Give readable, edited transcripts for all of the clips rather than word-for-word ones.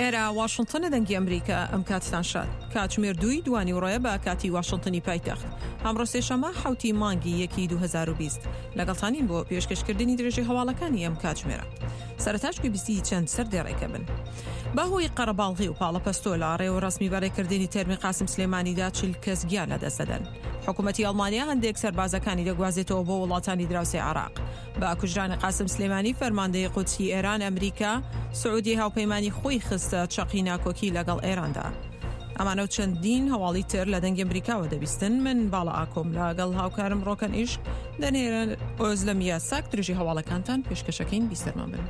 ئێرە واشنتنە دەنگی ئەمریکا ئەم کاتتان شاد کاتژمێر دووی دوانی ڕۆیە بە کاتی واشنتنی پایتەخت ئەمڕۆ سێشەمە حوتی مانگی یەکی 2020 لەگەڵتانین بۆ پێشکەشکردنی درێژی هەواڵەکانی ئەم کاتژمێرە سەرتاش گوێبیستی چەند سەر دێڕێکە بن بەهۆی قەرەباڵغی و پاڵەپەستۆ لە ڕێوڕەسمی بەڕێکردنی تەرمی قاسم سلێمانیدا 40 کەس گیان لەدەست دەدەن. حکوومەتی ئەڵمانیا هەندێک سەربازەکانی دەگوازێتەوە بۆ وڵاتانی دراوسێی عێراق. بە کوژرانی قاسم سلێمانی فەرماندەی قودسی ئێران، ئەمریکا، سعودیەی هاوپەیمانی خۆی خستە چەقی ناکۆکی لەگەڵ ئێراندا. ئەمانە و چەندین هەواڵی تر لە دەنگی ئەمریکاوە دەبیستن. من باڵا ئاکۆم لەگەڵ هاوکارم ڕۆکەن ئیشک دەنێرن ئۆزلەم یاساک درێژی هەواڵەکانتان پێشکەشەکەین بیسەرمان بن.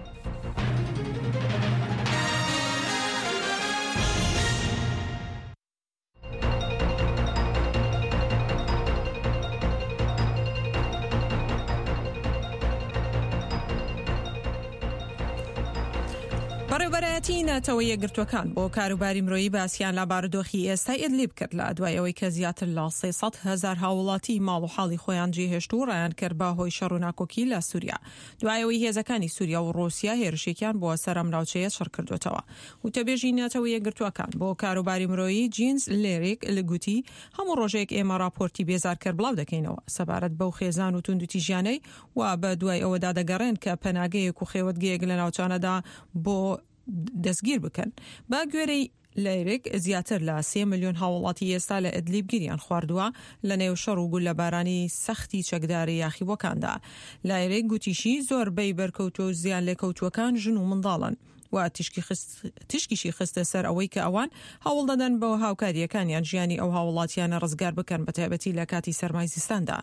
بەڕێوبەرایەتی نەتەوە یەکگرتووەکان بۆ کاروباری مرۆیی باسیان لە بارودۆخی ئێستای ئیدلیب کرد لە دوای ئەوەی کە زیاتر لە 300 هەزار هاوڵاتی ماڵ و حاڵی خۆیان جێهێشت و ڕایان کرد بە هۆی شەڕ و ناکۆکی لە سووریا دوای ئەوەی هێزەکانی سووریا و ڕووسیا هێرشێکیان بۆ سەر ئەم ناوچەیە چڕ کردووەتەوە. وتەبێژی نەتەوە یەکگرتووەکان بۆ کاروباری مرۆیی جینز لێریک گوتی، هەموو ڕۆژێک ئێمە ڕاپۆرتی بێزارکەر بڵاو دەکەینەوە سەبارەت بەو خێزان و توندوتیژیانەی وا بە دوای ئەوەدا دەگەڕێن کە پەناگەیەک و خێوەتگەیەک لە ناوچانەدا بۆ دەستگیر بکەن. بە گوێرەی لەیرک، زیاتر لە سێ ملیۆن هاوڵاتی ئێستا لە ئیدلیب گیریان خواردووە لە نێو شەڕ و گوللەبارانی سەختی چەکدارە یاخیبووەکاندا. لایرک گوتیشی، زۆربەی بەرکەوتووە و زیانلێکەوتووەکان ژن و منداڵن و تیشکیشی خستە سەر ئەوەی کە ئەوان هەوڵدەدەن بە هاوکارییەکانیان ژیانی ئەو هاوڵاتیانە ڕزگار بکەن بەتایبەتی لە کاتی سەرمای زستاندا.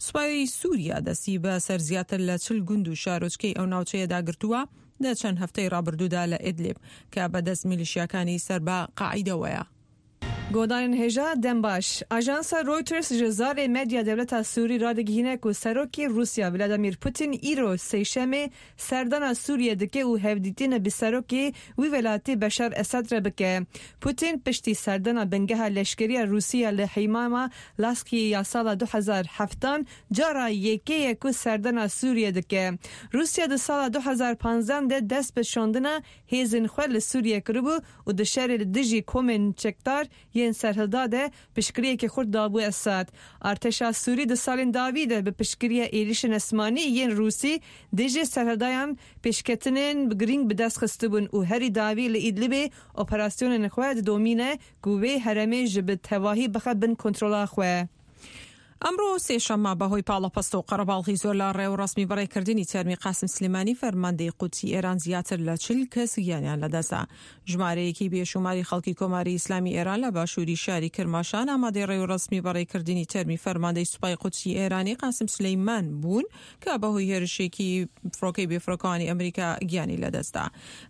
سوپای سوریا دەستی بە سەر زیاتر لە 40 گوند و شارۆچکەی ئەو ناوچەیەدا گرتووە لە چەند هەفتەی ڕابردوودا لە ئیدلیب کە بە دەست میلیشیاکانی سەر بە قاعیدەوەیە. Godarên hêja dem baş. Ajansa Reuters ji zarê medya dewleta Sûrî radigihîne ku Serokê Rûsya Vladimir Putin îro Sêşemê serdana Sûriyê dike û hevdîtinê bi Serokê wî welatî Beşar Esed re bike. Putin piştî serdana bingeha leşkeriya Rûsî ya li Heymama Laskiyê ya sala 2007 cara yekê ye ku serdana Sûriyê dike. Rûsya di sala 2015 de dest bi şandina hêzên xwe li Sûriyê kiribû û di şerê li dijî komên çekdar yên serhilda de piştgiriyekê xurt dabû Esad. Artêşa Sûrî di salên dawî de bi piştgiriya êrîşên esmanî yên Rûsî dijî serhildayan pêşketinên girîng bi dest xistibûn û herî dawî li Îdlibê operasyonên xwe didomîne ku wê herêmê ji bi tevahî bixe bin kontrola xwe. ئەمڕۆ سێشەممە بەهۆی پاڵەپەستۆ و قەرەباڵغی زۆر لە ڕێوڕەسمی بەڕێکردنی تەرمی قاسم سلێمانی فەرماندەی قودسی ئێران زیاتر لە 40 کەس گیانیان لەدەستدا. ژمارەیەکی بێشوماری خەڵکی کۆماری ئیسلامی ئێران لە باشووری شاری کرماشان ئامادەی ڕێوڕەسمی بەڕێکردنی تەرمی فەرماندەی سوپای قودسی ئێرانی قاسم سولەیمان بوون کە بەهۆی هێرشێکی فڕۆکەی بێفڕۆکەوانی ئەمریکا گیانی لەدەستدا.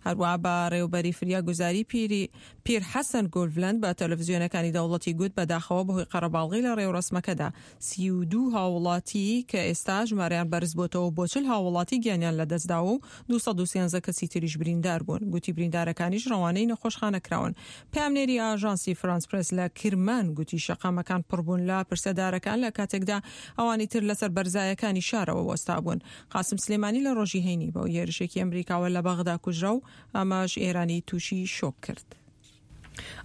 هەروەها بەڕێوبەری فریاگوزاری پیری پیر حەسەن گۆلڤلەند بە تەلەفزیۆنەکانی دەوڵەتی گوت بەداخەوە بەهۆی قەرەباڵغی لە ڕێوڕەسمەکەدا 32 هاووڵاتی کە ئێستا ژمارەیان بەرزبۆتەوە بۆ 40 هاووڵاتی گیانیان لەدەستداوە و 213 کەسی تریش بریندار بوون. گوتی بریندارەکانیش ڕەوانەی نەخۆشخانە کراون. پەیامنێری ئاژانسی فرانس پرێس لە کرمان گوتی شەقامەکان پڕبوون لە پرسەدارەکان لە کاتێکدا ئەوانی تر لەسەر بەرزایەکانی شارەوە وەستابوون. قاسم سلێمانی لە ڕۆژی هەینی بەهۆی هێرشێکی ئەمریکاوە لە بەغدا کوژرا و ئەمەش ئێرانی تووشی شۆک کرد.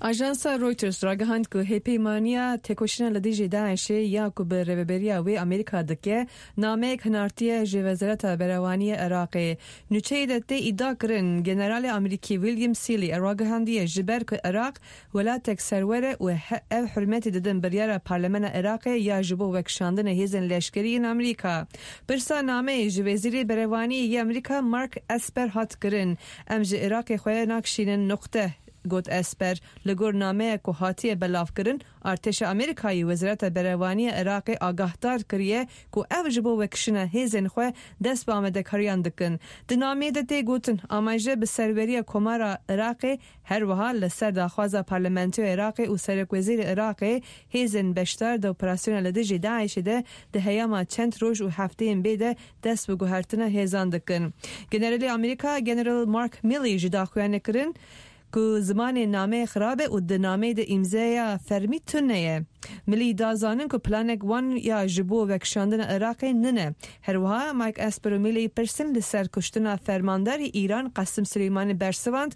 ئاژانسا Reuters ragihand ku hêpeymaniya têkoşîna li dijî DAIŞ'ê ya ku bi rêveberiya wê Amerîka dike, nameyek hinartiye ji Wezareta Berevaniyê Iraqê. Nûçeyê de tê îdia kirin generalê Amerîkî William Seeley ragihandiye ji ber ku Iraq welatek serwer e û ev hurmetê didin biryara Parlamena Iraqê ya ji bo vekişandina hêzên leşkerî yên Amerîka. Pirsa nameyê ji Wezîrê Berevaniyê yê Amerîka Mark Esper hat kirin. Em ji Iraqê xwe nakişînin nuqte, got Esper. Li gor nameya ku hatiye belavkirin, artêşa Amerîkayê Wezareta Berevaniya Iraqê agahdar kiriye ku ev ji bo vekişina hêzên xwe dest bi amadekariyan dikin. Di nameyê de tê gotin, amaje bi serweriya Komara Iraqê her wiha li ser daxwaza Parlamentoya Iraqê û Serokwezîrê Iraqê hêzên beşdar di operasyona li dijî DAIŞ'ê de di heyama çend roj û hefteyên bê de dest bi guhertina hêzan dikin. Generalê Amerîka General Mark Milley ji daxuyanê kirin ku zimanê nameyê xirab e û di nameyê de îmzeya fermî tune ye. Milley da zanin ku planek wan ya ji bo vekişandina Iraqê nine. Her wiha Mike Esper û Milley pirsin li ser kuştina fermandarê Îran Qasim Suleymanî bersivand.